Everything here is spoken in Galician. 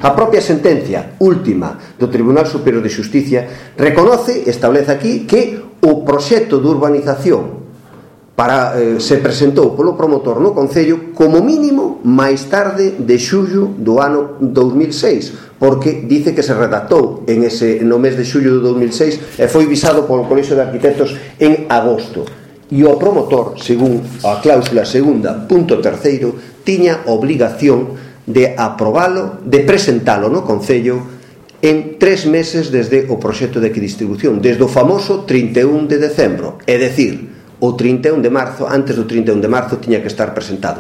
A propia sentencia última do Tribunal Superior de Xusticia reconoce, establece aquí, que o proxecto de urbanización se presentou polo promotor no Concello como mínimo máis tarde de xullo do ano 2006, porque dice que se redactou no mes de xullo do 2006 e foi visado polo Colexio de Arquitectos en agosto. E o promotor, según a cláusula segunda, punto terceiro, tiña obligación de aprobalo, de presentalo no Concello en 3 meses desde o proxecto de equidistribución, desde o famoso 31 de decembro, é dicir, o 31 de marzo, antes do 31 de marzo tiña que estar presentado.